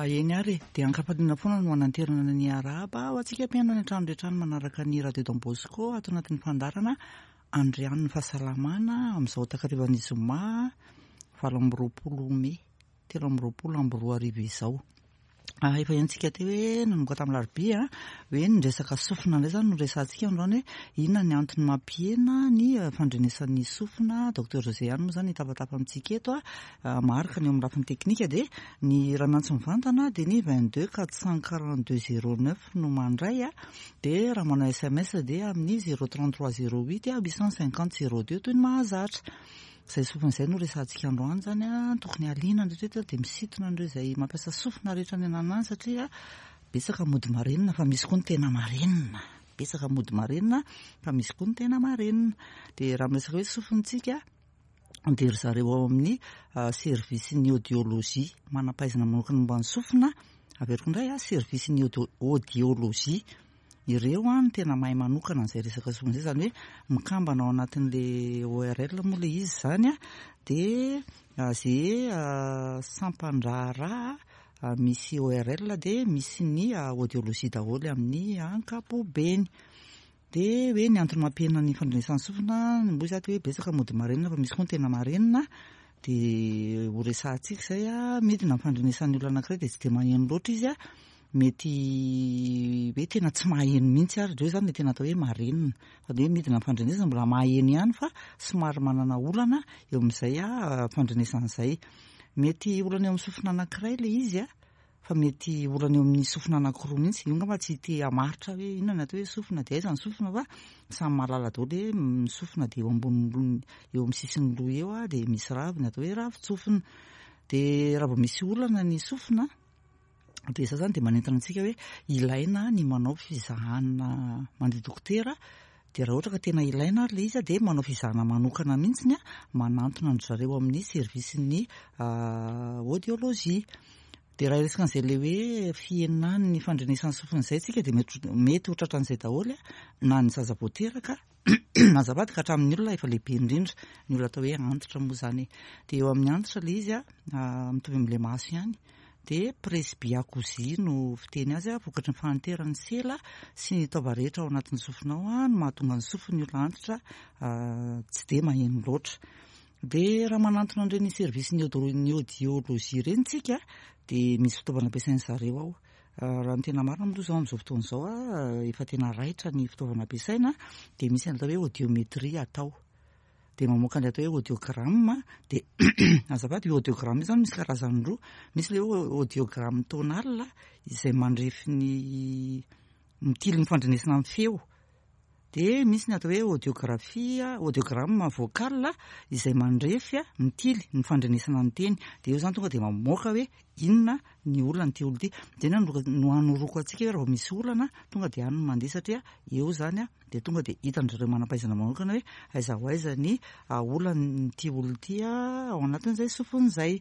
Eny ary e, dia ankafaliana foana no hananterana ny arahaba ho antsika mpihaino any an-trano rehetra any manaraka ny Radio Don Bosco ato anatin'ny fandaharana Andrianin'ny Fahasalamana amin'izao takarivan'ny zoma 28 mey 2023 izao. Ah, efa henontsika teo hoe nanomboka tamin'ny alarobia hoe ny resaka sofina indray izany no resahantsika androany hoe inona ny antony mampihena ny fandrenesan'ny sofina. Docteur José ihany moa izany hitafatafa amintsika eto maharaka ny eo amin'ny lafiny teknika dia ny raha miantso mivantana dia ny 22 442 09 no mandray dia raha manao sms dia amin'ny 033 08 850 02 toy ny mahazatra. Izay sofina izay no resahantsika androany izany an, tokony haliana ny rehetra dia misintona an'ireo izay mampiasa sofina rehetra any ananany any satria betsaka mody marenina fa misy koa ny tena marenina, betsaka mody marenina fa misy koa ny tena marenina. Dia raha miresaka hoe sofina isika dia ry zareo ao amin'ny service-n'ny audiologie, manam-pahaizana manokana momba ny sofina, averiko indray an, service-n'ny audiologie. Ireo no tena mahay manokana an'izay resaka sofina izay, izany hoe mikambana ao anatin'ilay ORL moa ilay izy izany an, dia izay sampan-draharaha misy ORL dia misy ny audiologie daholo amin'ny ankapobeny. Dia hoe ny antony mampihena ny fandrenesan'ny sofina, moa izaho hoe betsaka mody marenina fa misy koa ny tena marenina, dia ho resahantsika izay an, midina ny fandrenesan'ny olona anankiray dia tsy dia maheno loatra izy an, Mety hoe tena tsy maheno mihitsy ary ireo izany ilay tena atao hoe marenina. Fa dia hoe midina ny fandrenesana mbola maheno ihany fa somary manana olana eo amin'izay fandrenesana izay. Mety olana eo amin'ny sofina anankiray ilay izy fa mety olana eo amin'ny sofina anankiroa mihitsy. Io angamba tsy te hamaritra hoe inona ny atao hoe sofina dia aiza ny sofina fa samy mahalala daholo hoe ny sofina dia eo ambonimbony eo amin'ny sisin'ny loha eo dia misy raviny atao hoe ravin-tsofina. Dia raha vao misy olana ny sofina Dia izao izany dia manentana antsika hoe ilaina ny manao fizahana mandeha dokotera, dia raha ohatra ka tena ilaina ary ilay izy dia manao fizahana manokana mihitsy manantona an-dry zareo amin'ny service-n'ny audiologie. Dia raha hiresaka an'izay ilay hoe fihenan'ny fandrenesan'ny sofina izay isika dia mety ho tratran'izay daholo na ny zaza vao teraka Azafady ka hatramin'ny olona efa lehibe indrindra, ny olona atao hoe antitra moa izany e. Dia eo amin'ny antitra ilay izy an, mitovy amin'ilay maso ihany, dia presbyacousie no fiteny azy, vokatry ny fahanteran'ny sela sy ny taova rehetra ao anatin'ny sofina ao no mahatonga ny sofin'ny olona antitra tsy dia maheno loatra. Dia raha manantona an'ireny service-n'ny audiologie ireny tsika dia misy fitaovana ampiasain'ny zareo ao. Raha ny tena marina moa aloha izao amin'izao fotoana izao efa tena raitra ny fitaovana ampiasaina dia misy ny atao hoe audiométrie atao. Dia mamoaka ny atao hoe audiogramme dia azafady io audiogramme io izany misy karazany roa. Misy ilay hoe audiogramme tonal izay mandrefy ny mitily ny fandrenesana ny feo. Dia misy ny atao hoe audiographie, audiogramme vocal izay mandrefy, mitily ny fandrenesana ny teny. Dia eo izany tonga dia mamoaka hoe inona ny olan'ity olona ity. Dia inona no hanoroko antsika hoe raha vao misy olana tonga dia any no mandeha satria eo izany dia tonga dia hitan-dry zareo manam-pahaizana manokana hoe aiza ho aiza ny olan'ity olona ity ao anatin'izay sofiny izay.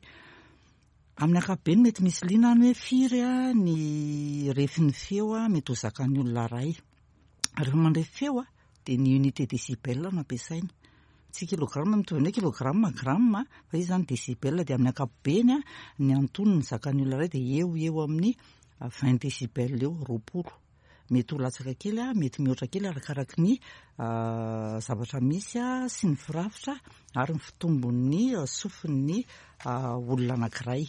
Amin'ny ankapobeny mety misy liana any hoe firy ny refin'ny feo mety ho zakan'ny olona iray. Rehefa mandray feo dia ny unité décibel no ampiasaina. Tsy kilogramme mitovy amin'ny hoe kilogramme, gramme fa izy izany décibel dia amin'ny ankapobeny ny antonony zakan'ny olona iray dia eo ho eo amin'ny 20 décibel eo, 20. Mety ho latsaka kely, mety mihoatra kely arakaraky ny zavatra misy sy ny firafitra ary ny fitombon'ny sofin'ny olona anankiray.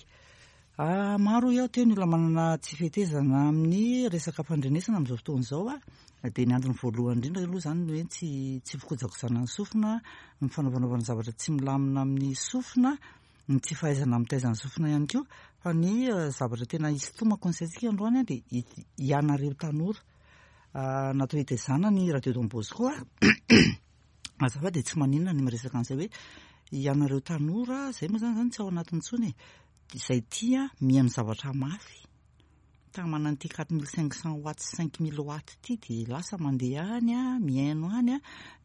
Maro hoy aho teo ny olona manana tsy fetezana amin'ny resaka fandrenesana amin'izao fotoana izao dia ny antony voalohany indrindra aloha izany ny hoe tsy tsy fikojakojana ny sofina, ny fanaovanaovana zavatra tsy milamina amin'ny sofina, ny tsy fahaizana mitaiza ny sofina ihany koa. Fa ny zavatra tena hisintomako ny saintsika androany dia ianareo tanora natao hitaizana ny radio Don Bosco. Azafady dia tsy maninona ny miresaka an'izay hoe ianareo tanora, izay moa izany tsy ao anatiny intsony e. Izay tia mihaino zavatra mafy, ta manana ity 4500 watts, 5000 watts ity dia lasa mandeha any mihaino any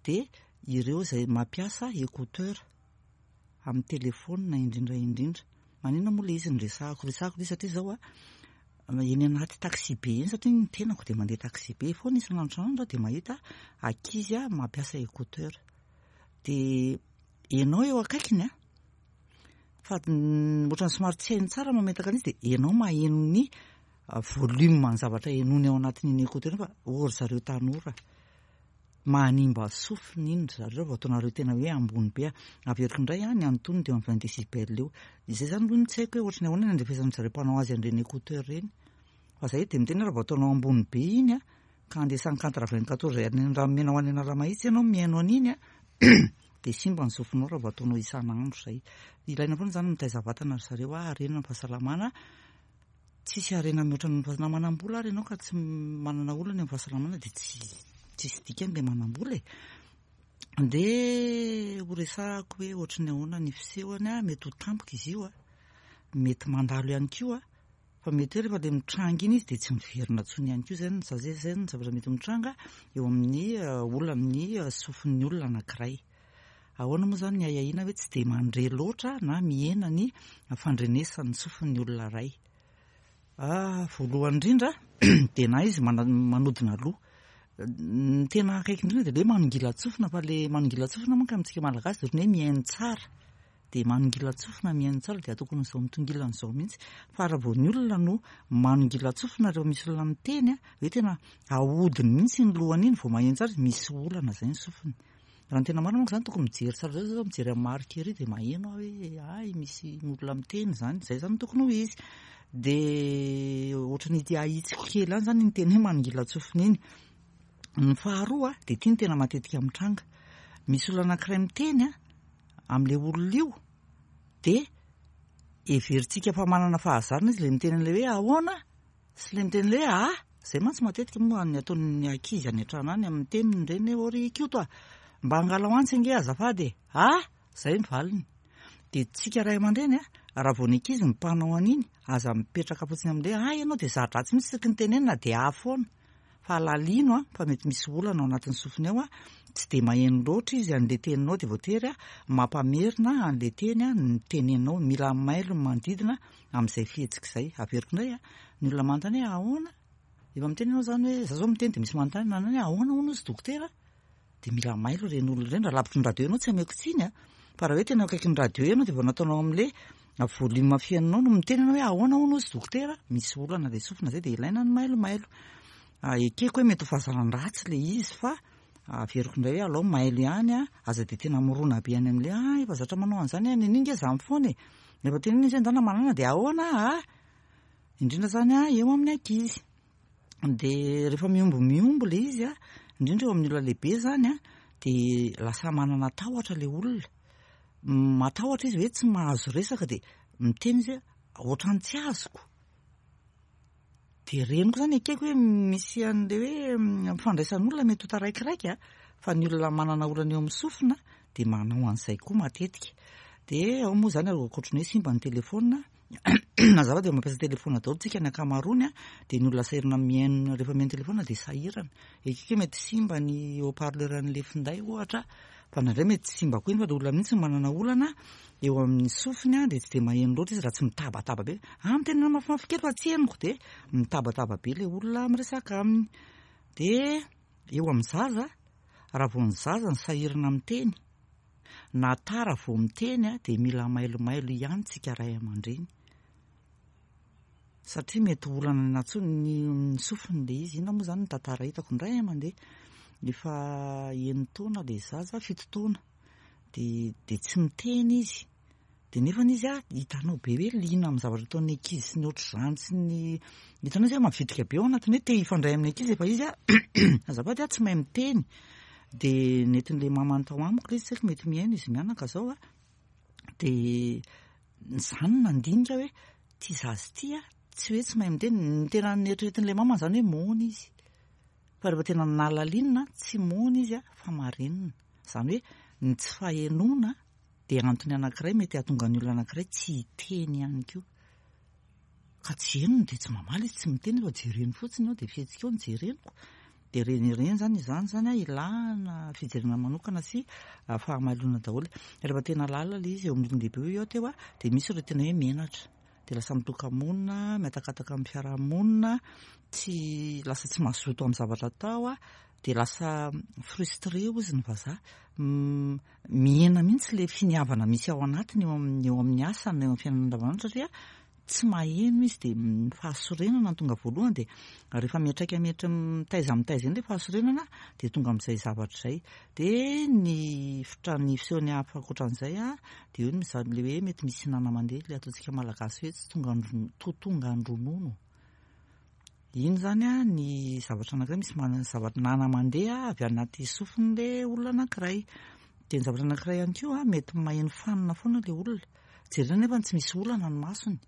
dia ireo izay mampiasa écouteur amin'ny telefaonina indrindra indrindra. Maninona moa ilay izy no resahako? Resahako ilay izy satria izao eny anaty taxi be eny satria ny tenako dia mandeha taxi be foana isan'andro isan'andro dia mahita ankizy mampiasa écouteur. Dia ianao eo akaikiny. fa ohatran'ny somary tsy hainy tsara mametaka an'izy dia ianao maheno ny volume ny zavatra henoiny ao anatin'iny écouteur iny fa ô ry zareo tanora manimba sofina iny ry zareo vao ataonareo tena hoe ambony be. Averiko indray ny antonony dia eo amin'ny 20 décibel eo. Izay izany aloha no tsy haiko hoe ohatran'ny ahoana ny andrefesan'ny zareo mpanao azy an'ireny écouteur ireny. Fa zay dia miteny hoe raha vao ataonao ambony be iny a, ka handeha cent quatre-vingt-quatorze any Andranomena ho any Analamahitsy ianao mihaino an'iny a, dia simba ny sofinao raha vao ataonao isan'andro izay. Ilaina foana izany mitaiza vatana ry zareo a, harena ny fahasalamana. Tsisy harena mihoatra ny na manam-bola ary ianao ka tsy manana olana eo amin'ny fahasalamana dia tsy tsisy dikany ilay manam-bola e. Dia ho resahako hoe ohatry ny ahoana ny fisehony a, mety ho tampoka izy io a, mety mandalo ihany koa. Fa mety hoe rehefa ilay mitranga iny izy dia tsy miverina intsony ihany koa. Izay no izay no zavatra mety mitranga eo amin'ny olan'ny sofin'ny olona anankiray. Ahoana moa izany ny ahiahiana hoe tsy dia mandre loatra na mihena ny fandrenesan'ny sofin'ny olona iray? Voalohany indrindra dia na izy manodina loha. Ny tena akaiky indrindra dia ilay hoe manongilan-tsofina fa ilay manongilan-tsofina manko amintsika Malagasy dia ohatran'ny hoe mihaino tsara. Dia manongilan-tsofina mihaino tsara dia tokony izao mitongilana izao mihitsy fa raha vao ny olona no manongilan-tsofina rehefa misy olona miteny hoe tena ahodiny mihitsy iny lohany iny vao maheno tsara misy olana izay ny sofiny. Raha ny tena marina manko izany tokony mijery tsara izao zao mijery amin'ny marika ery dia maheno aho hoe hay misy olona miteny izany, izay izany no tokony ho izy. Dia ohatran'ny ity ahitsiko kely ihany izany iny teny hoe manongilan-tsofina iny. Ny faharoa dia ity no tena matetika mitranga, misy olona anankiray miteny amin'ilay olona io dia heverintsika fa manana fahazarana izy ilay miteny an'ilay hoe ahoana sy ilay miteny ilay hoe ah, izay mantsy matetika moa ny ataon'ny ankizy any an-trano any amin'ny teniny ireny hoe ô ry Koto a, mba angalao antsy ange azafady e, ah, izay ny valiny. Dia tsika ray aman-dreny a, raha vao ny ankizy no mpanao an'iny, aza mipetraka fotsiny amin'ilay hoe ah ianao dia za-dratsy mihitsy isaky ny tenenina dia ah foana. Fa alalino an, fa mety misy olana ao anatin'ny sofiny ao an, tsy dia maheno loatra izy an'ilay teninao dia voatery mampamerina an'ilay teny ny teneninao, mila mailo ny manodidina amin'izay fihetsika izay. Averiko indray an, ny olona manontany hoe ahoana? Efa miteny ianao izany hoe, za zao miteny dia misy manontany hoe ahoana hono izy dokotera? Dia mila mailo ireny olona ireny, raha lavitry ny radio ianao tsy ameko tsiny a, fa raha hoe tena akaiky ny radio ianao dia vao nataonao amin'ilay volume fihainonao no miteny ianao hoe ahoana hono hozy dokotera, misy olana ilay sofina izay dia ilaina ny mailomailo. Ekeko hoe mety ho fahazaran-dratsy ilay izy fa averiko indray hoe alao mailo ihany a, aza dia tena mirona be any amin'ilay ah efa zatra manao an'izany aho, nen'iny nge izany foana e, rehefa tenenina izy hoe ndana manana dia ahoana ah, indrindra izany eo amin'ny ankizy. Dia rehefa mihombo mihombo ilay izy a, indrindra eo amin'ny olona lehibe izany a, dia lasa manana tahotra ilay olona. Matahotra izy hoe tsy mahazo resaka dia miteny izy hoe ohatran'ny tsy azoko. Dia ireny koa izany ekeko hoe misy an'ilay hoe fandraisan'olona mety ho taraikiraiky a, fa ny olona manana olana eo amin'ny sofina dia manao an'izay koa matetika. Dia ao moa izany ankoatry ny hoe simba ny telefaonina. Mazava dia mampiasa telefaonina daholo tsika ny ankamaroany a, dia ny olona sahirana mihaino rehefa mihaino telefaonina dia sahirana. Ekeko hoe mety simba ny haut parleur an'ilay finday ohatra, fa indraindray mety tsy simba koa iny fa ilay olona mihitsy no manana olana eo amin'ny sofiny a, dia tsy dia maheno loatra izy raha tsy mitabataba be. Ah, mitenena mafimafy kely fa tsy henoko, dia mitabataba be ilay olona miresaka aminy. Dia eo amin'ny zaza, raha vao ny zaza no sahirana miteny, Na tara vao miteny dia mila mailomailo ihany tsika ray aman-dreny satria mety ho olana nantsony ny sofiny le izy. Inona moa izany ny tantara hitako indray mandeha efa enin-taona le zaza, 7 taona dia tsy miteny izy. Dia nefany izy a, hitanao be hoe liana amin'ny zavatra ataon'ny ankizy sy ny ohatr'izany sy ny hitanao izy hoe mavitrika be ao anatin'ny hoe te hifandray amin'ny ankizy efa izy a, azafady a, tsy mahay miteny. Dia nentin'ilay mamany tao amiko ilay izy, tsy haiko mety mihaino izy mianaka izao a. Dia izany no nandinika hoe ity zaza ity a, tsy hoe tsy mahay miteny, ny tena neritreretin'ilay mamany izany hoe moana izy. Fa rehefa tena nalalinina, tsy moana izy a, fa marenina. Izany hoe ny tsy fahenoana dia antony anankiray mety hahatonga ny olona anankiray tsy hiteny ihany koa. Ka tsy henony dia tsy mamaly izy, tsy miteny fa jereny fotsiny eo dia fihetsika eo no jereniko. Dia ireny ireny izany, izany izany an, ilana fijerena manokana sy fahamailona daholo. Rehefa tena lalina ilay izy eo amin'ny olon-dehibe hoy aho teo an, dia misy ireo tena hoe menatra. Dia lasa mitoka-monina, mihatakataka amin'ny fiaraha-monina, tsy lasa tsy mazoto amin'ny zavatra atao. Dia lasa frustré hozy ny vazaha, mihena mihitsy ilay finiavana misy ao anatiny eo amin'ny eo amin'ny asany na eo amin'ny fiainana andavanandro satria tsy maheno izy dia ny fahasorenana no tonga voalohany dia rehefa miantraika miantra mitaiza mitaiza eny ilay fahasorenana dia tonga amin'izay zavatra izay. Dia ny fitra ny fisehony hafa ankoatran'izay dia eo ny ilay hoe mety misy nana mandeha ilay ataontsika malagasy hoe tsy tonga to tonga an-dronono. Iny izany an, ny zavatra anankiray misy manana zavatra nana mandeha avy anaty sofin'ilay olona anankiray. Dia ny zavatra anankiray ihany koa an, mety maheno fanina foana ilay olona. Jerena nefa tsy misy olana ny masony.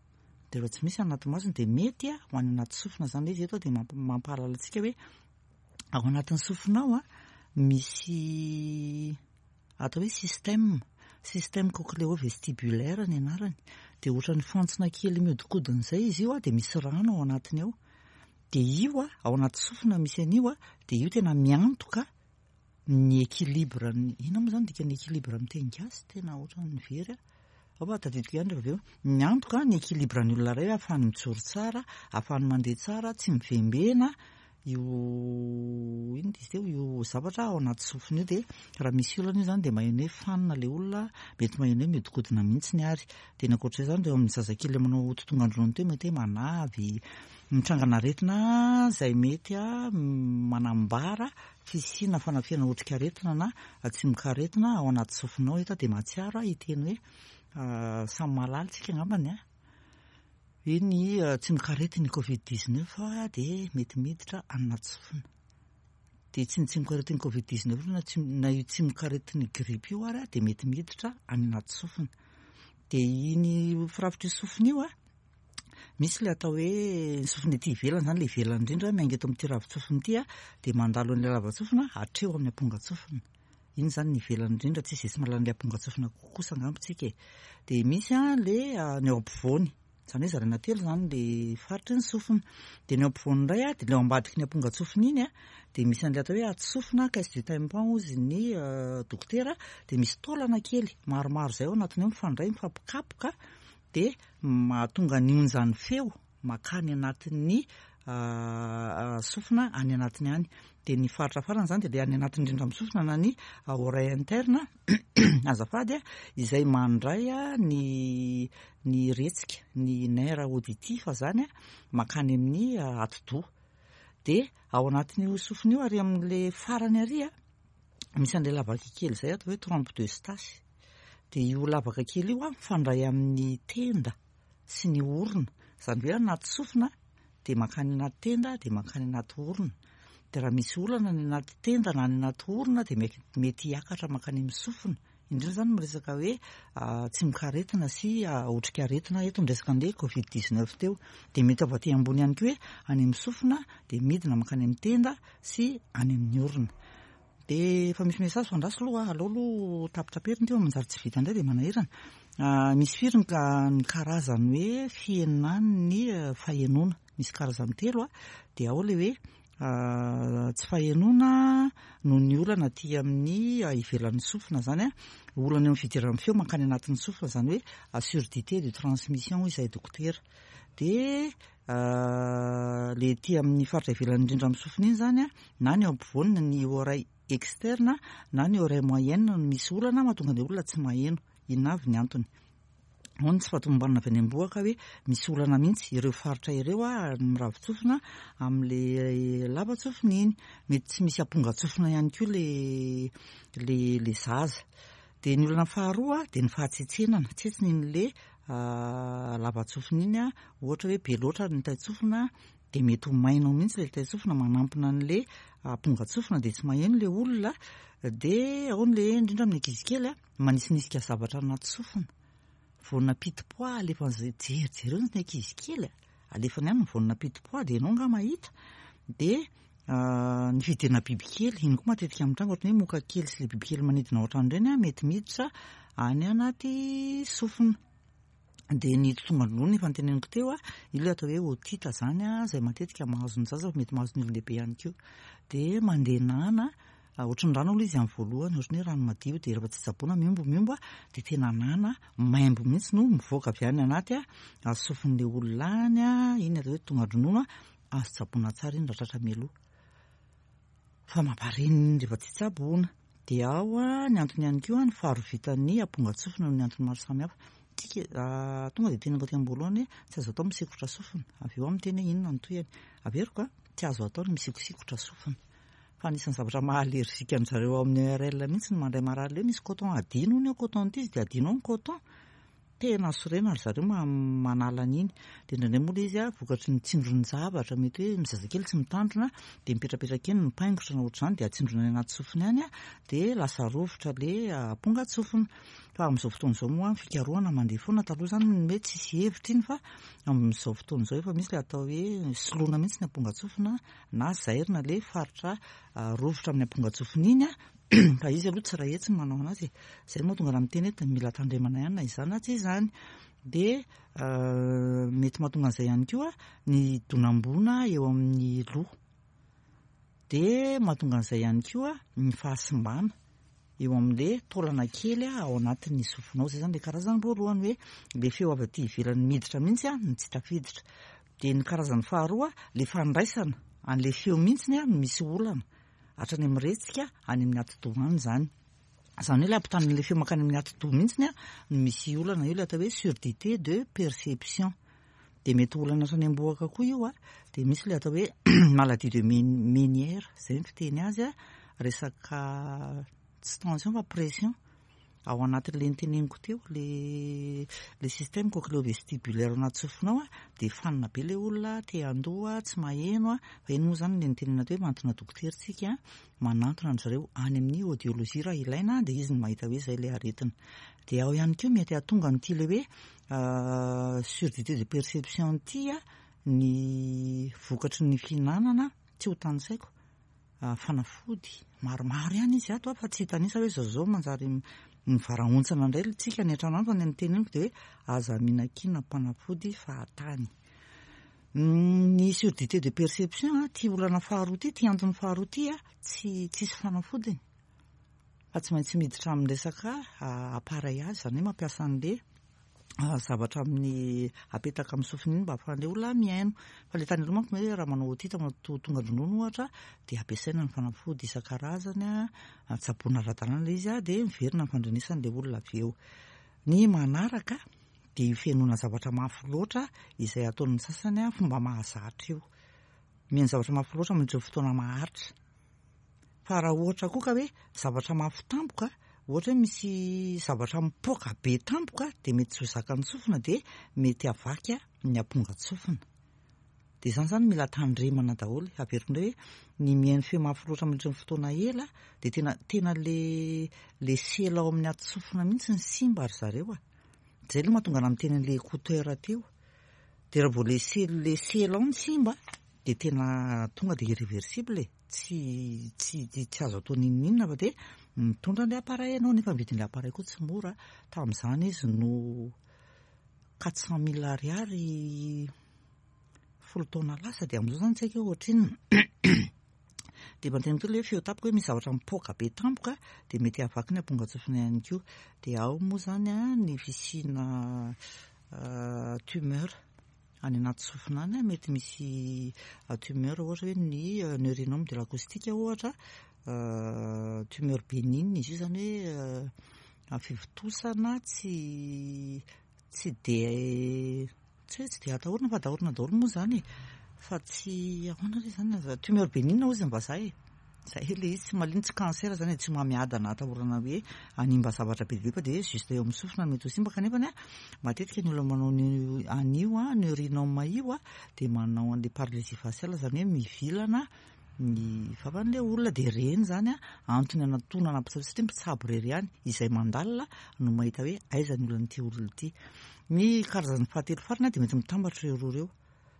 Dia rehefa tsy misy anaty masony dia mety ho any anaty sofina izany ilay izy. Eto dia mampahalala antsika hoe ao anatin'ny sofina ao an, misy atao hoe système, système cochléo-vestibulaire ny anarany, dia ohatran'ny fantsona kely mihodinkodina izay izy io dia misy rano ao anatiny ao, dia io ao anaty sofina misy an'io dia io tena miantoka ny équilibre ny, inona moa izany dikan'ny équilibre amin'ny teny gasy, tena ohatran'ny very aho, ao fa tadidiko ihany rehefa avy eo, miantoka ny équilibre ny olona iray ahafahany mijoro tsara, ahafahany mandeha tsara, tsy mivembena, io inona izy teo io zavatra ao anaty sofina io dia raha misy olana io izany dia maheno hoe fanina ilay olona, mety maheno hoe mihodinkodina mihitsy ary. Dia ny ankoatr'izay izany dia eo amin'ny zazakely ilay manao totongan-dronono teo mety hoe manavy, mitrangana aretina izay mety manambara fisiana fanafihana otrikaretina na tsimokaretina ao anaty sofina ao. Eto aho dia mahatsiaro aho hiteny hoe samy mahalala isika angambany an! Hoe ny tsimokaretin'ny covid 19 dia mety miditra any anaty sofina. Dia tsy ny tsimokaretin'ny covid 19 na tsy na io tsimokaretin'ny grippe io ary dia mety miditra any anaty sofina. Dia iny firafitr'io sofina io misy ilay atao hoe ny sofina ety ivelany izany, ilay ivelany indrindra miainga eto amin'ity ravin-tsofina ity dia mandalo an'ilay lava-tsofina hatreo amin'ny ampongan-tsofina. Iny izany ny ivelany indrindra, tsisy izay tsy mahalala an'ilay ampongan-tsofina kosa angamba tsika e. Dia misy ilay ny ao ampovoany, izany hoe zaraina telo izany ilay faritry ny sofina. Dia ny ao ampovoany indray dia ilay ao ambadiky ny ampongan-tsofina iny dia misy an'ilay atao hoe atsofina, caisse du tympan hozy ny dokotera, dia misy taolana kely maromaro izay ao anatiny ao mifandray, mifampikapoka dia mahatonga ny onjan'ny feo mankany anatin'ny sofina any anatiny any. Dia ny faritra farany izany dia ilay any anatiny indrindra amin'ny sofina na ny oreille interne azafady izay mandray ny ny retsika, ny nerf auditif izany mankany amin'ny atidoha. Dia ao anatin'io sofina io ary amin'ilay farany ary misy an'ilay lavaka kely izay atao hoe trompe d'Eustache. Dia io lavaka kely io mifandray amin'ny tenda. sy ny orona, izany hoe anaty sofina dia mankany anaty tenda dia mankany anaty orona, dia raha misy olana any anaty tenda na any anaty orona dia mety hiakatra mankany amin'ny sofina, indrindra izany miresaka hoe tsimokaretina sy otrikaretina eto ny resaka an'ilay covid 19 teo, dia mety avy aty ambony ihany koa hoe any amin'ny sofina dia midina mankany amin'ny tenda sy any amin'ny orona. Dia efa misy message fa andraso aloha, aleo aloha tapitaperina ity fa manjary tsy vita indray dia manahirana. Misy firy ny ny karazany hoe fihenan'ny fahenoana? Misy karazany telo dia ao ilay hoe tsy fahenoana noho ny olana aty amin'ny ivelan'ny sofina izany an, olana eo amin'ny fidiran'ny feo mankany anatin'ny sofina izany hoe surdité de transmission hoy izahay dokotera. Dia Le ety amin'ny faritra ivelany indrindra amin'ny sofina iny izany an, na ny eo ampovoany na ny oreille externe na ny oreille moyenne no misy olana mahatonga ny olona tsy maheno. Inona avy ny antony? Ao ny tsy fahatomombanana avy any am-bohoka hoe misy olana mihitsy ireo faritra ireo ny miravin-tsofina amin'ilay lava-tsofina iny. Mety tsy misy ampongan-tsofina ihany koa le le le zaza. Dia ny olana faharoa dia ny fahatsetsenana, tsetsina iny le lava-tsofina iny an, ohatra hoe be loatra ny tain-tsofina dia mety ho maina ao mihitsy ilay tain-tsofina manampina an'ilay ampongan-tsofina dia tsy maheno ilay olona, dia ao ny indrindra amin'ny ankizy kely an, manisinisika zavatra anaty sofina, voana pitipoa alefan'izay, jerijereo ny ankizy kely a, alefany any ny voana pitipoa dia ianao angaha mahita, dia ny fidirana bibikely, iny koa matetika mitranga ohatran'ny hoe moka kely sy ilay bibikely manidina ao an-trano ireny an, mety miditra any anaty sofina. Dia ny totongan-dronono efa noteneniko teo an, io ilay atao hoe otite izany an, izay matetika mahazo ny zaza fa mety mahazo ny olon-dehibe ihany koa. Dia mandeha nana, ohatran'ny rano aloha izy amin'ny voalohany, ohatran'ny hoe rano madio, dia rehefa tsy tsaboina mihombo mihombo dia tena nana maimbo mihitsy no mivoaka avy any anaty sofin'ilay olona any, iny atao hoe totongan-dronono. Azo tsaboina tsara iny raha tratra mialoha. Fa mampareniny iny rehefa tsy tsaboina. Dia ao ny antony ihany koa ny faharovitan'ny ampongan-tsofina noho ny antony maro samihafa. Tsika tonga dia teneniko aty am-boalohany hoe tsy azo atao misikotra sofina. Avy eo aho miteny hoe inona ny tohiny. Averiko a, tsy azo atao ny misikosikotra sofina. Fa anisan'ny zavatra maha allergique an-dry zareo ao amin'ny ERL mihitsy ny mandray marary ilay hoe misy coton adino hono eo coton ity izy dia adino ao ny coton. Tena sorena ry zareo manala an'iny. Dia indraindray moa ilay izy vokatry ny tsindron-javatra, mety hoe ny zazakely tsy mitandrina dia mipetrapetraka eny mipaingotra na ohatr'izany dia atsindrona any anaty sofiny any dia lasa rovitra ilay ampongan-tsofina. Fa amin'izao fotoana izao moa ny fikarohana mandeha foana, taloha izany ny hoe tsisy hevitra iny fa amin'izao fotoana izao efa misy ilay atao hoe soloina mihitsy ny ampongan-tsofina na zairina ilay faritra rovitra amin'ny ampongan-tsofina iny. Fa izy aloha tsy iray hetsy ny manao anazy e. Izay no mahatonga anah miteny hoe mila tandremana ihany na izany na tsy izany. Dia mety mahatonga an'izay ihany koa ny donam-boana eo amin'ny loha. Dia mahatonga an'izay ihany koa ny fahasimbana eo amin'ilay taolana kely ao anatin'ny sofinao. Izay izany ilay karazany voalohany hoe ilay feo avy aty ivelany miditra mihitsy no tsy tafiditra. Dia ny karazany faharoa, ilay fandraisana an'ilay feo mihitsy no misy olana. Hatrany amin'ny retsika any amin'ny atidoha any izany. Izany hoe ilay ampitan'ilay feo mankany amin'ny atidoha mihitsy no misy olana, io ilay atao hoe surdité de perception. Dia mety ho olana hatrany am-bohoka koa io, dia misy ilay atao hoe maladie de Ménière, izay ny fiteny azy, resaka tsy tension fa pression. Ao anatin'ilay noteneniko teo, le le système cochléo-vestibulaire ao anaty sofina ao dia fanina be ilay olona, te handoa, tsy maheno, fa iny moa izany ilay notenenina teo hoe manantona dokotera isika, manantona an-dry zareo any amin'ny audiologie raha ilaina dia izy no mahita hoe izay ilay aretina. Dia ao ihany koa mety hahatonga an'ity ilay hoe surdité de perception ity ny vokatry ny fihinanana, tsy ho tanisaiko. Fanafody maromaro ihany izy ato fa tsy hitanisa hoe zao zao manjary mivarahontsana indray ilay tsika any an-trano any fa ny teneniko dia hoe aza mihinan-kinana mpanafody fahatany. Ny surdité de perception ity olana faharoa ity, ity antony faharoa ity tsy tsisy fanafodiny fa tsy maintsy miditra amin'ny resaka appareillage izany hoe mampiasa an'ilay zavatra amin'ny apetaka amin'ny sofina iny mba ahafahan'ilay olona mihaino. Fa ilay tany aloha manko hoe raha manao otite tonga dronono ohatra dia ampiasaina ny fanafody isan-karazany, tsaboina ara-dalàna ilay izy dia miverina ny fandrenesan'ilay olona avy eo. Ny manaraka dia io fihenoana zavatra mafy loatra izay ataon'ny sasany fomba mahazatra io. Mihaino zavatra mafy loatra mandritra ny fotoana maharitra. Fa raha ohatra koa ka hoe zavatra mafy tampoka, ohatra hoe misy zavatra mipoaka be tampoka dia mety tsy ho zakan'ny sofina dia mety havaky ny ampongan-tsofina. Dia izany izany mila tandremana daholo. Averiko indray hoe ny mihaino feo mafy loatra mandritra ny fotoana ela dia tena tena le le sela ao amin'ny ati-tsofina mihitsy ny simba ry zareo a. Izay aloha mahatonga anah miteny an'ilay écouteur teo. Dia raha vao le sela le sela ao ny simba dia tena tonga dia irréversible e. Tsy tsy tsy azo atao n'inon'inona fa dia mitondra an'ilay appareil ianao nefa ny vidin'ilay appareil koa tsy mora. Tamin'izany izy no 400 000 ariary folo taona lasa dia amin'izao izany tsy haiko hoe ohatrinona. Dia mba niteny koa ilay hoe feo tampoka hoe misy zavatra mipoaka be tampoka dia mety hahavaky ny ampongan-tsofina ihany koa. Dia ao moa izany ny fisiana tumeur. Any anaty sofina any mety misy tumeur ohatra hoe ny neurinome de l'acoustique ohatra, tumeur bénigne izy io izany hoe fivontosana tsy tsy dia tsy hoe tsy dia atahorana fa atahorana daholo moa izany e, fa tsy ahoana re izany, tumeur bénigne hozy ny vazaha e. Zay ilay izy, tsy mahalino, tsy cancer zany e, tsy homamiadana atahorana hoe hanimba zavatra be dia be fa dia juste eo amin'ny sofina no mety ho simba kanefa an, matetika ny olona manao an'io an, neurinome io an, dia manao an'ilay paralysie faciale zany hoe mivilana ny vavan'ilay olona dia ireny zany an, antony anatonana mpitsabo satria mpitsabo irery ihany izay mandalina no mahita hoe aiza ny olan'ity olona ity. Ny karazany fahatelo farany an dia mety mitambatra ireo roa ireo.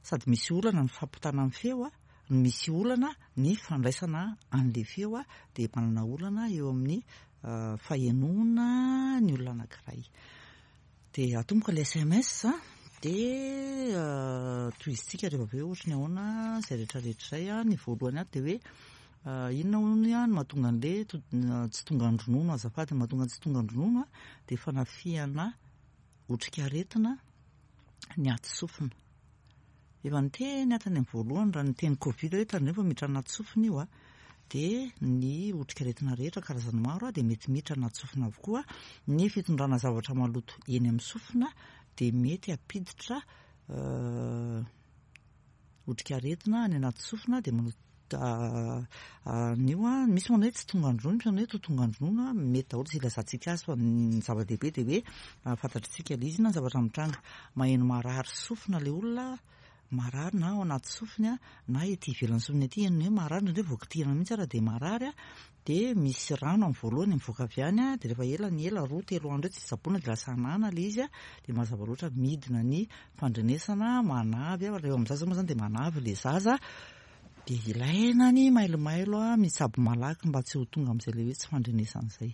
Sady misy olana ny fampitana ny feo no misy olana ny fandraisana an'ilay feo dia manana olana eo amin'ny fahenoana ny olona anankiray. Dia atomboka ilay sms dia tohizintsika rehefa avy eo ohatry ny ahoana izay rehetra rehetra izay. Ny voalohany ato dia hoe inona hono no mahatonga an'ilay tsy tonga ny ronono azafady, ny mahatonga ny tsy tonga ny ronono dia fanafihana otrikaretina ny aty sofina. Efa niteny aho tany amin'ny voalohany raha niteny covid hoe tandremo fa miditra anaty sofina io a. Dia ny otrikaretina rehetra karazany maro dia mety miditra anaty sofina avokoa. Ny fitondrana zavatra maloto eny amin'ny sofina dia mety hampiditra otrikaretina any anaty sofina dia manao an'io an, misy manao hoe tsy tongan-dronono, misy manao hoe to tongan-dronono an, mety daholo izay ilazantsika azy fa ny zava-dehibe dia hoe fantatritsika ilay izy na ny zavatra mitranga. Maheno marary sofina ilay olona, marary na ao anaty sofiny na ety ivelan'ny sofiny ety, henony hoe marary, indraindray vao kitihina mihitsy ara dia marary, dia misy rano amin'ny voalohany mivoaka avy any, dia rehefa ela ny ela, roa telo andro eo tsy tsaboina dia lasa anana ilay izy, dia mazava loatra midina ny fandrenesana, manavy, raha eo amin'ny zaza moa izany dia manavy ilay zaza, dia ilaina ny mailomailo mitsabo malaky mba tsy ho tonga amin'izay ilay hoe tsy fandrenesana izay.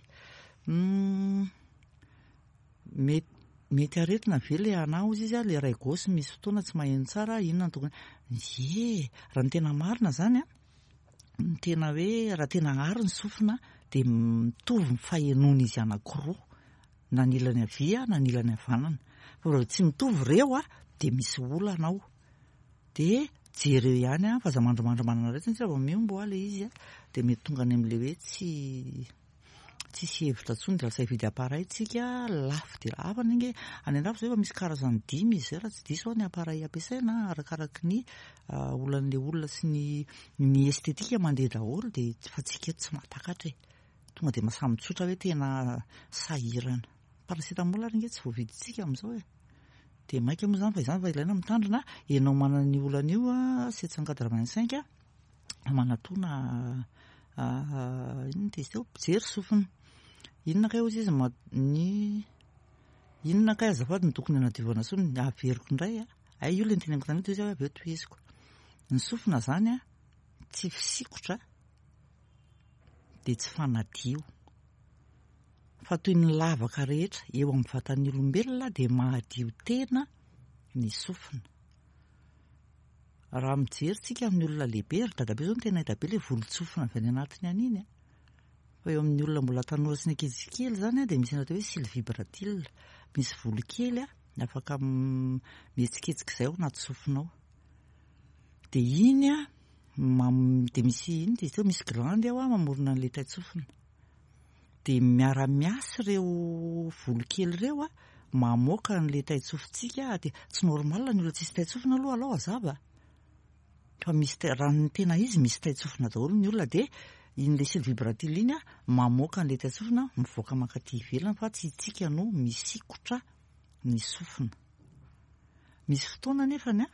Mety mety aretina ve le anah ozy izy a, le ray gauche misy fotoana tsy maheno tsara, inona no tokony, ie, raha ny tena marina zany a, ny tena hoe raha tena ary ny sofina dia mitovy ny fahenoan'izy anankiroa, na ny ilany havia na ny ilany havanana, fa raha tsy mitovy ireo a dia misy olana ao, dia jereo ihany a, fa aza mandrimandry manana aretina satria raha vao mihombo a le izy a dia mety tonga any amin'ilay hoe tsy Tsisy hevitra intsony dia lasa hividy appareil tsika, lafo dia lafo anie ange, any andafy zao efa misy karazany dimy izy zay raha tsy diso aho ny appareil ampiasaina arakaraky ny olan'le olona sy ny ny esthétique mandeha daholo dia fa tsika eto tsy mahatakatra e, tonga dia samy mitsotra hoe tena sahirana, paracétamol ary ange tsy voavidintsika amin'izao e, dia maika moa izany fa izany fa ilaina mitandrina, ianao manana io olana io 785. Manatona inona izy teo? Mpijery sofina. Inona kay hozy izy ny inona kay azafady no tokony hanadiovana sofina? Averiko indray a. Hay io ilay noteneniko tamin'io tohizo avy eo tohiziko. Ny sofina izany a tsy fisikotra dia tsy fanadio. Fa toy ny lavaka rehetra eo amin'ny vatan'ny olombelona dia mahadio tena ny sofina. Raha mijery tsika amin'ny olona lehibe, ry dadabe zao no tena hita be le volon-tsofina avy any anatiny any iny a. Fa eo amin'ny olona mbola tanora sy ny ankizy kely zany a dia misy ny atao hoe cils vibratile. Misy volo kely a afaka mihetsiketsika izay ao anaty sofina ao. Dia iny a dia misy inona izy teo, misy glandy ao a mamorona an'ilay tain-tsofina. Dia miara-miasa ireo volo kely ireo a, mamoaka an'ilay tain-tsofintsika, dia tsy normal ny olona tsisy tain-tsofina aloha alao hazava fa misy tai- raha ny tena izy misy tain-tsofina daholo ny olona dia iny le cils vibratile iny a mamoaka an'ilay tain-tsofina mivoaka mankaty ivelany fa tsy itsika no misikotra ny sofina. Misy fotoana anefany a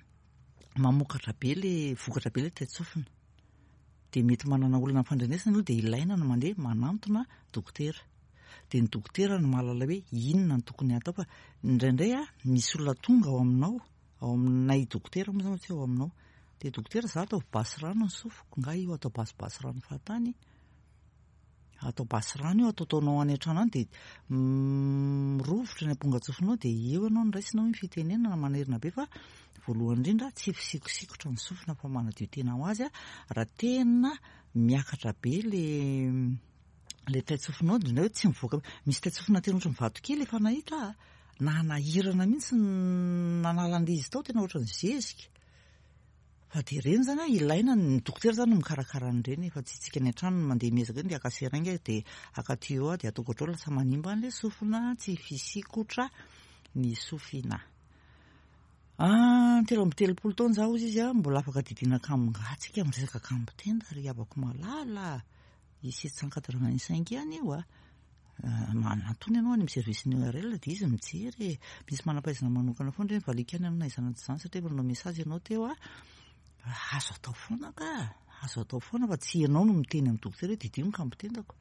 mamokatra be le vokatra be le tain-tsofina. Dia mety manana olana amin'ny fandrenesana aloha dia ilaina ny mandeha manantona dokotera. Dia ny dokotera no mahalala hoe inona no tokony hatao fa indraindray a misy olona tonga ao aminao, ao aminay dokotera moa izany fa tsy ao aminao. Dia dokotera za ataovy basy rano ny sofiko, nga io atao basibasy rano fahatany? Atao basy rano io, ataotaonao any an-trano any dia mirovitra ny ampongan-tsofinao dia eo ianao no raisina hoy ny fitenenana manerina be fa voalohany indrindra tsy fisikosikotra ny sofina fa manadio tena ho azy raha tena miakatra be le le tain-tsofinao dia hoe tsy mivoaka misy tain-tsofina tena ohatran'ny vato kely efa nahita aho nanahirana mihitsy nanala an'ilay izy tao tena ohatran'ny zezika. Fa dia ireny izany an, ilaina, ny dokotera izany no mikarakara an'ireny fa tsy isika any an-trano no mandeha miezaka hoe ndeha haka seringue dia haka tuyau aho dia ataoko ohatr'izao lasa manimba an'ilay sofina, tsy fisikotra ny sofina. Ah, 33 taona izaho hozy izy an, mbola afaka didiana kamo-ngaha tsika miresaka kamo-tenda ry havako malala a! I 785 ihany io a! Manantona ianao any amin'ny service ny ORL dia izy mijery e. Misy manam-pahaizana manokana foana ireny, valiako ihany ianao na izany na tsy izany satria efa nanao message ianao teo a. Azo atao foana ka, azo atao foana fa tsy ianao no miteny amin'ny dokotera hoe didio ny kambon-tendako.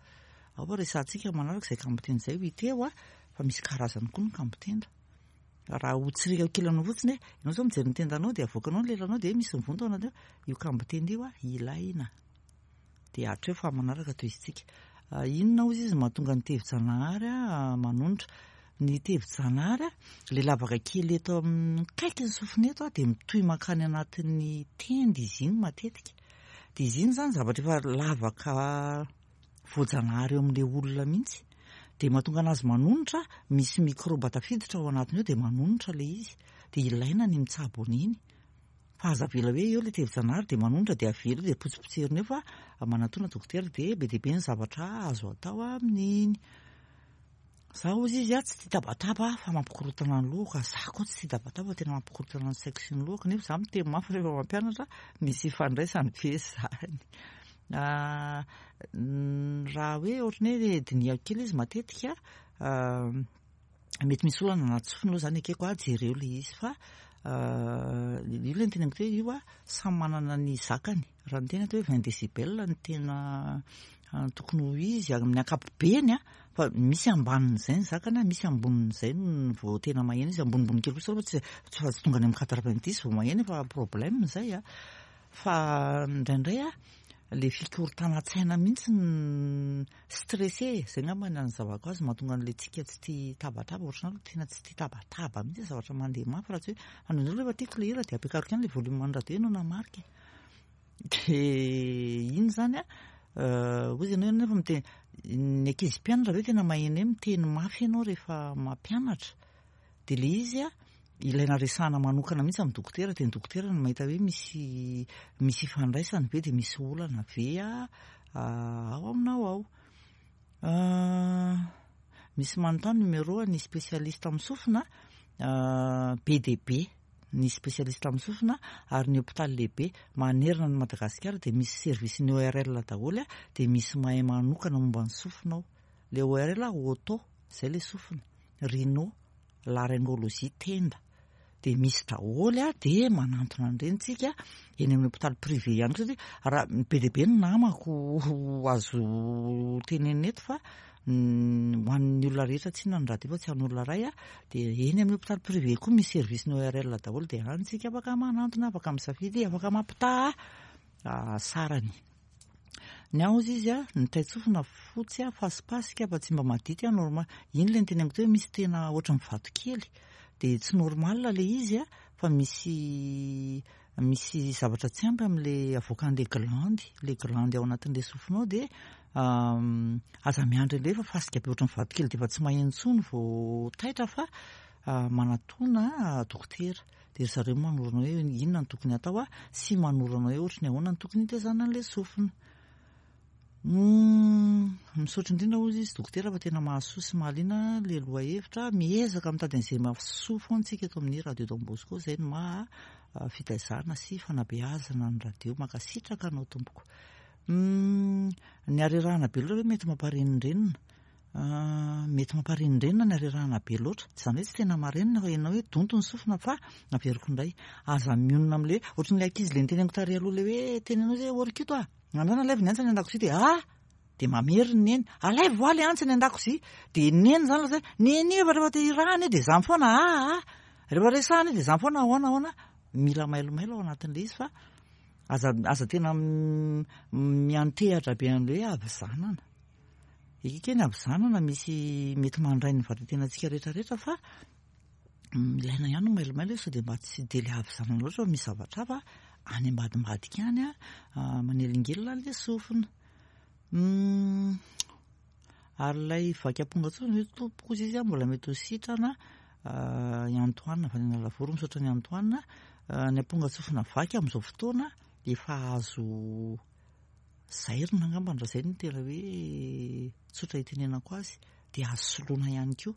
Ao fa resahantsika manaraka izay kambon-tenda izay ho hita eo a, fa misy karazany koa ny kambon-tenda. Raha ho tsirika kely aminao fotsiny hoe, ianao izao mijery ny tendanao dia avoakanao ny lelanao dia misy mivonto ao anaty ao, io kambon-tenda io a, ilaina. Dia hatreo fa manaraka tohizintsika. Inona hozy izy mahatonga ny tevi-janahary manonitra? Ny tevi-janahary, ilay lavaka kely eto amin'ny akaiky ny sofina eto dia mitohy mankany anatin'ny tenda izy iny matetika. Dia izy iny izany zavatra efa lavaka voajanahary eo amin'ilay olona mihitsy. Dia mahatonga anazy manonitra, misy mikraoba tafiditra ao anatiny ao dia manonitra ilay izy. Dia ilaina ny mitsabo an'iny. Fa aza avela hoe eo ilay tevi-janahary dia manonitra dia avela eo dia potsipotserina eo fa manatona dokotera dia be dia be ny zavatra azo atao amin'iny. Za hozy izy a tsy tia tabataba fa mampikorontana ny lohako, za koa tsy tia tabataba fa tena mampikorontana ny saiko sy ny lohako nefa za miteny mafy rehefa mampianatra, misy ifandraisany ve zany? Raha hoe ohatran'ny hoe dinihako kely izy matetika mety misy olana anaty sofina aloha zany ekeko a, jereo le izy fa io le noteneniko teo io a samy manana ny zakany, raha ny tena atao hoe 20 décibel no tena tokony ho izy amin'ny ankapobeny a, fa misy ambanin'izay ny zakany a, misy ambonin'izay no vao tena maheno izy, ambonimbony kely kosa aloha tsy fa tsy tonga any amin'ny 90 vao maheno efa problème izay a, fa indraindray a le fikorontanan-tsaina mihitsy no stressé e, zay angamba ny anazavako azy mahatonga an'ilay tsika tsy tia tabataba, ohatr'izany aloha tena tsy tia tabataba mihitsy zavatra mandeha mafy raha tsy hoe, fa indraindray aloha efa tiako ilay hira dia ampiakariko ihany ilay volume an'ny radio no namarika e. Dia iny izany an, hoy ianao nefa miteny, ny ankizy mpianatra ve tena maheno hoe miteny mafy ianao rehefa mampianatra? Dia ilay izy an, ilaina resahana manokana mihitsy amin'ny dokotera, dia ny dokotera no mahita hoe misy misy ifandraisany ve dia misy olana ve ao aminao ao. Misy manontany numéro an'ny spécialiste amin'ny sofina, be dia be. ny spécialiste amin'ny sofina ary ny hopitaly lehibe manerana an'i Madagasikara dia misy service ny ORL daholo dia misy mahay manokana momba ny sofina ao. Ilay ORL oto, izay ilay sofina, rhino, laryngologie, tenda. Dia misy daholo dia manantona an'ireny tsika eny amin'ny hopitaly privé ihany koa satria raha be dia be ny namako azo tenenina eto fa ho an'ny olona rehetra tsinona ny radio fa tsy an'olona iray a, dia eny amin'ny hopitaly privé koa misy service ny ORL daholo dia any tsika afaka manantona, afaka misafidy, afaka mampitaha sarany. Ny ahy hozy izy a, ny taitsofina fotsy a, fasipasika fa tsy mba madity a, normal. Iny ilay noteneniko teo hoe misy tena ohatran'ny vatokely dia tsy normal ilay izy a, fa misy Misy zavatra tsy ampy amin'ilay avoakan'ilay glandy, ilay glandy ao anatin'ilay sofinao dia aza miandry an'ilay fa fasika be ohatran'ny vatokely dia efa tsy maheno intsony vao taitra fa manatona dokotera. Dia ry zareo manoro anao hoe inona no tokony hatao sy manoro anao hoe ohatry ny ahoana no tokony hitezana an'ilay sofina. Humm, misaotra indrindra hozy izy dokotera fa tena mahasoa sy mahaliana le lohahevitra, miezaka mitady an'izay mahasoa foana tsika eto amin'ny radio Don Bosco, izay no maha fitaizana sy fanabeazana ny radio, mankasitraka anao tompoko. Humm, ny harerahana be loatra ve mety mamparenindrenina? Mety mamparenindrenina ny harerahana be loatra, izany hoe tsy tena marenina fa ianao hoe donto ny sofina fa averiko indray, aza mionona amin'le hoe, ohatran'ilay ankizy le niteneniko tary aloha le hoe teneno hoe orikito ah! Andrana alaivo ny antsy any an-dakozia dia ah! Dia mamerina neny. Alaivo hoa ilay antsy any an-dakozia. Dia neny izany lasa hoe neny io efa rehefa te hirahana io dia izany foana ah ah. Rehefa resahana io dia izany foana ahoana ahoana. Mila mailomailo ao anatin'ilay izy fa aza aza tena miantehatra be an'ilay hoe havizanana. Ekeko hoe ny havizanana misy mety mandray ny vatan-tenantsika rehetra rehetra fa Ilaina ihany ny mailomailo sao dia mba tsy dia ilay havizanana loatra fa misy zavatra hafa any ambadimbadika any manelingelina an'ilay sofina. Ary ilay vaky amponga-tsofina ve tompoko hozy izy mbola mety ho sitrana i Antoine avy any Analavory, misaotra an'i Antoine. Ny amponga-tsofina vaky amin'izao fotoana efa azo zairina angambany raha izay no tena hoe tsotra itenenako azy dia azo soloina ihany koa.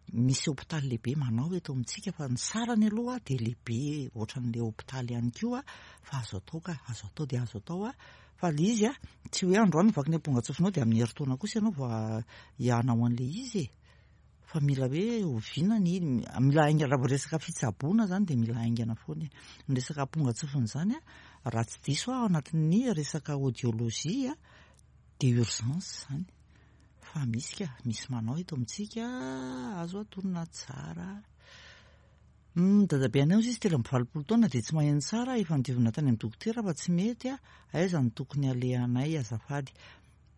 Misy hopitaly lehibe manao eto amintsika fa ny sarany aloha dia lehibe ohatran'ilay hopitaly ihany koa fa azo atao ka, azo atao dia azo atao fa ilay izy tsy hoe androany vaky ny amponga-tsofinao dia amin'ny herintaona kosa ianao vao hanao an'ilay izy e! Fa mila hoe oviana ny, mila haingana, raha vao resaka fitsaboana izany dia mila haingana foana e! Ny resaka amponga-tsofina izany raha tsy diso aho ao anatin'ny resaka audiologie dia urgence izany. Fa misy ka, misy manao eto amintsika azo atonina tsara. Humm, dadabe anay hozy izy 83 taona dia tsy maheno tsara, efa nodiovina tany amin'ny dokotera fa tsy mety, aiza no tokony alehanay azafady.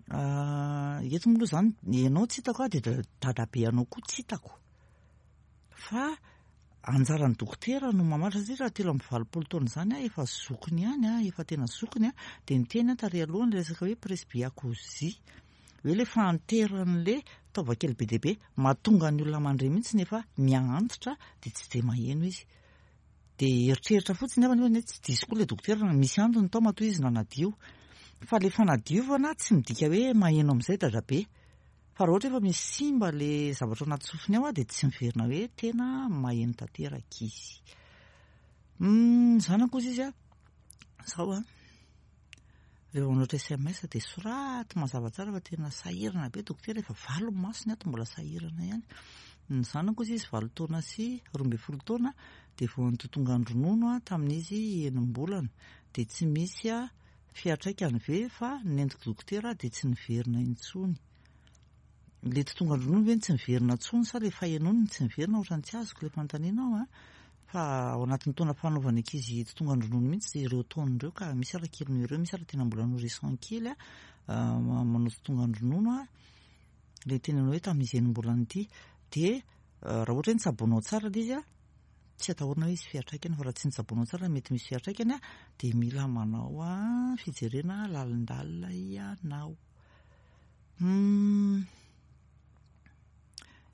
Eto moa aloha izany, ianao tsy hitako dia dadabe anao koa tsy hitako. Fa anjaran'ny dokotera no mamaritra satria raha 83 taona izany aho efa zokiny ihany aho, efa tena zokiny aho, dia niteny aho tary aloha ny resaka hoe presbyacousie, hoe ilay fahanteran'ilay taova kely be dia be mahatonga ny olona mandre mihitsy nefa miha-antitra dia tsy dia maheno izy. Dia eritreritra fotsiny aho nefa tsy diso koa ilay dokotera, misy antony tao matoa izy nanadio. Fa ilay fanadiovana tsy midika hoe maheno amin'izay dadabe. Fa raha ohatra efa misy simba ilay zavatra ao anaty sofiny ao dia tsy miverina hoe tena maheno tanteraka izy. Ny zanako hozy izy zao an, rehefa manoratra SMS dia soraty mazava tsara fa tena sahirana be dokotera, efa valo ny masony ato mbola sahirana ihany. Ny zanako hozy izy 8 taona sy 12 taona dia vao nitotongan-dronono tamin'izy enim-bolana dia tsy misy fiantraikany ve fa nentiko dokotera dia tsy niverina intsony. Ilay totongan-dronono ve no tsy niverina intsony sa ilay fahenoany no tsy niverina? Ohatran'ny tsy azoko ilay fanontaniana ao an. Fa ao anatin'ny taona fanaovana ankizy totongan-dronono mihitsy ireo taona ireo ka misy ara kely noho ireo, misy ara tena mbola nourrisson kely manao totongan-dronono an. Ilay tenenao hoe tamin'izy enim-bolana ity dia raha ohatra hoe nitsaboanao tsara ilay izy an, tsy atahorana hoe hisy fiantraikany fa raha tsy nitsaboanao tsara mety misy fiantraikany an, dia mila manao fijerena lalindalina ianao.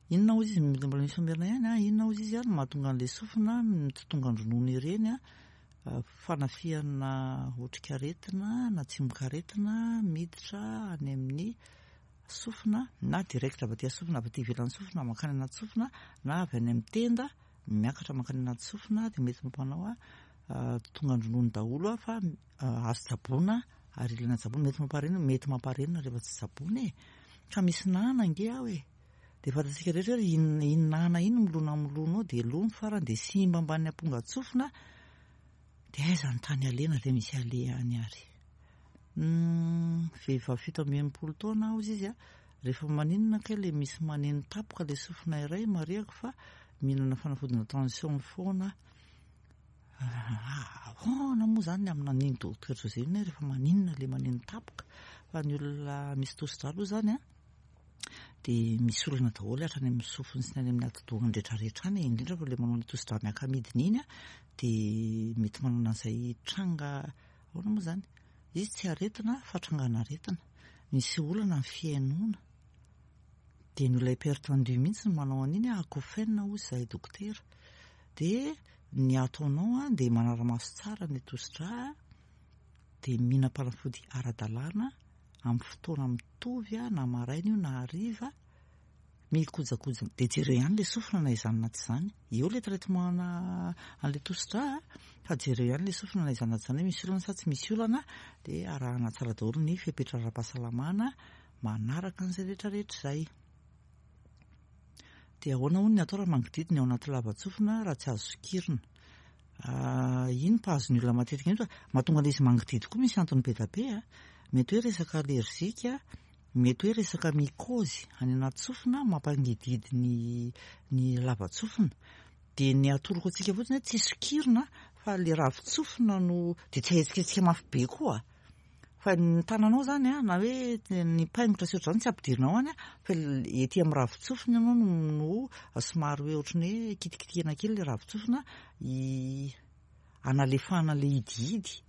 Inona hozy izy, mbola misy famerina ihany an, inona hozy izy an no mahatonga an'ilay sofina mitotongan-dronono ireny an, fanafihana otrikaretina na tsimokaretina miditra any amin'ny sofina na direct avy aty sofina avy aty ivelan'ny sofina mankany anaty sofina na avy any amin'ny tenda miakatra mankany anaty sofina dia mety mampanao totongan-dronono daholo fa azo tsaboina ary ilaina tsaboina, mety mamparenina, mety mamparenina rehefa tsy tsaboina e, ka misy nana ange aho e, dia fantatsika rehetra hoe iny iny nana iny milona milona ao dia lo ny farany dia simba ambany ampongan-tsofina dia aiza ny tany alena dia misy aleha any ary. Vehivavy 67 taona aho hozy izy a, rehefa maninona kay le misy maneno tapoka le sofina iray, marihako fa mihinana fanafodina tension foana aho. Ahoana moa izany ny amina an'iny docteur José iny hoe rehefa maninona le maneno tapoka, fa ny olona misy tosi-drà aloha izany a, dia misy olana daholo hatrany amin'ny sofiny sy ny any amin'ny atidohany rehetrarehetra any, indrindra fa le manao ny tosi-drà miaka-midina iny a, dia mety manana an'izay tranga, ahoana moa izany, izy tsy aretina fa trangan'aretina, misy olana ny fihainoana, dia ny olona hypertendu mihitsy no manao an'iny, acouphène hozy izahay dokotera, dia ny ataonao an dia manara-maso tsara ny tosi-drà, dia mihinam-panafody ara-dalàna amin'ny fotoana mitovy na maraina io na hariva, mikojakoja dia jereo ihany ilay sofina na izany na tsy izany, eo ilay traitement an'ilay tosi-drà fa jereo ihany ilay sofina na izany na tsy izany hoe misy olana sa tsy misy olana, dia arahana tsara daholo ny fepetra ara-pahasalamana manaraka an'izay rehetrarehetra izay. Dia ahoana hono ny atao raha mangididy ny ao anaty lava-tsofina raha tsy azo sokirina? Iny mpahazo ny olona matetika iny fa mahatonga an'ilay izy mangididy koa misy antony be dia be a. Mety hoe resaka alerzika, mety hoe resaka mycose any anaty sofina mampangididy ny ny lava-tsofina. Dia ny atoroko antsika fotsiny hoe tsy sokirina fa ilay ravin-tsofina no dia tsy ahetsiketsika mafy be koa. Fa ny tananao izany a, na hoe ny paingotra sy ohatr'izany tsy ampidirinao any a, fa ety amin'ny ravin-tsofina ianao no somary hoe ohatran'ny hoe kitikitihana kely ilay ravin-tsofina hanalefahana ilay hidihidy.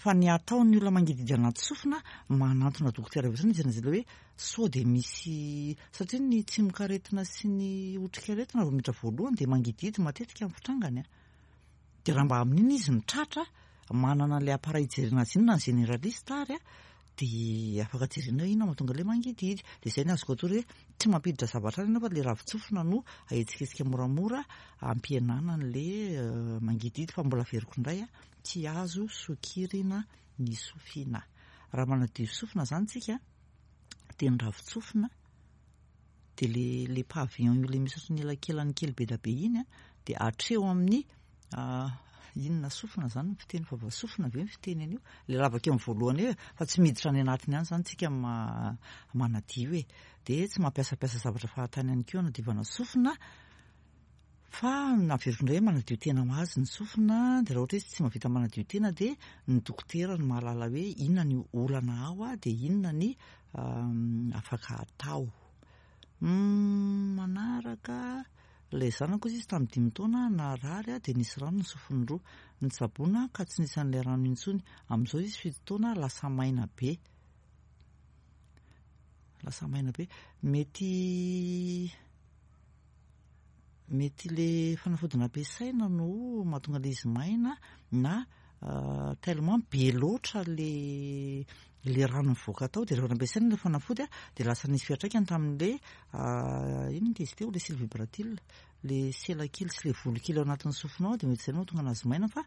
Fa ny ataon'ny olona mangidihidy anaty sofina, manantona dokotera avy hatrany izy ilay hoe sao dia misy, satria ny tsimokaretina sy ny otrikaretina vao miditra voalohany dia mangidihidy matetika ny fitrangany a. Dia raha mba amin'iny izy no tratra, manana an'ilay appareil hijerena azy iny na ny généraliste ary a, dia afaka jerena hoe inona mahatonga ilay mangidihidy. Dia izay no azoko atoro hoe tsy mampiditra zavatra any ianao fa ilay ravin-tsofina no ahetsiketsika moramora hampihenana an'ilay mangidihidy fa mbola averiko indray a, tsy azo sokirina ny sofina. Raha manadio sofina izany tsika dia ny ravin-tsofina dia le le pavillon io le misy ohatran'ny elakelany kely be dia be iny a, dia hatreo amin'ny inona sofina zany ny fiteny, vava sofina ve ny fiteny an'io? Le lavaka eo amin'ny voalohany eo e, fa tsy miditra any anatiny any zany tsika manadio e, dia tsy mampiasampiasa zavatra fahatany ihany koa hanadiovana sofina, fa averiko indray manadio tena ho azy ny sofina, dia raha ohatra izy tsy mahavita manadio tena dia ny dokotera no mahalala hoe inona ny olana ao a, dia inona ny afaka atao. Manaraka ilay zanako izy tamin'ny 5 taona narary dia nisy rano ny sofiny roa. Nitsaboana ka tsy nisy an'ilay rano intsony. Amin'izao izy 7 taona lasa maina be. Lasa maina be. Mety Mety le fanafody nampiasaina no mahatonga le izy maina na tellement be loatra le le rano mivoaka tao dia rehefa nampiasaina le fanafody dia lasa nisy fiantraikany tamin'le inona ity izy teo, le cils vibratile, le sela kely sy le volo kely ao anatin'ny sofina ao dia mety izay no mahatonga anazy maina fa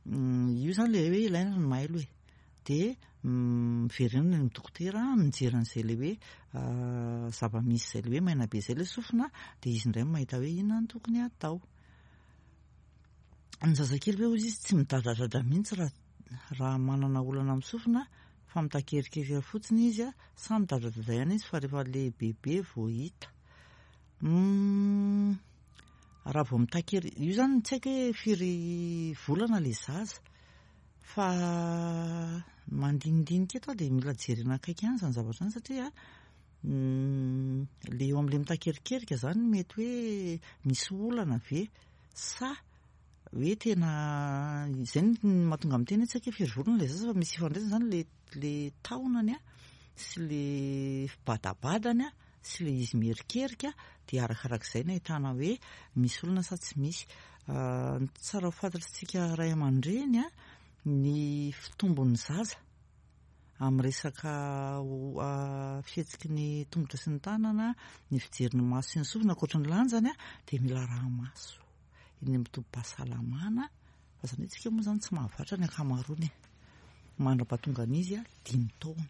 io izany le hoe ilaina ny mailo e. Dia miverina any amin'ny dokotera mijery an'izay le hoe zava-misy izay le hoe maina be izay le sofina dia izy indray no mahita hoe inona no tokony hatao. Ny zazakely ve hoy izy tsy midradradradra mihitsy raha raha manana olana amin'ny sofina fa mitakerikeriky fotsiny izy sa midradradradra ihany izy fa rehefa lehibebe vao hita. Raha vao mitakery, io izany tsy haiko hoe firy volana ilay zaza fa mandinidinika eto aho dia mila jerena akaiky ihany izany zavatra izany satria ilay eo amin'ilay mitakerikerika izany mety hoe misy olana ve sa hoe tena izay no mahatonga miteny hoe tsy haiko hoe firy volana ilay zaza fa misy ifandraisany izany ilay ilay taonany sy ilay fibadabadany sy ilay izy mierikerika dia arakarak'izay no ahitana hoe misy olana sa tsy misy. Ny tsara ho fantatr'isika ray aman-dreny ny fitombon'ny zaza amin'ny resaka fihetsiky ny tongotra sy ny tanana, ny fijery ny maso sy ny sofina ankoatry ny lanjany dia mila araha-maso eny amin'ny tobim-pahasalamana fa izany hoe isika moa izany tsy mahavatra ny ankamaroany e, mandra-pahatonga an'izy 5 taona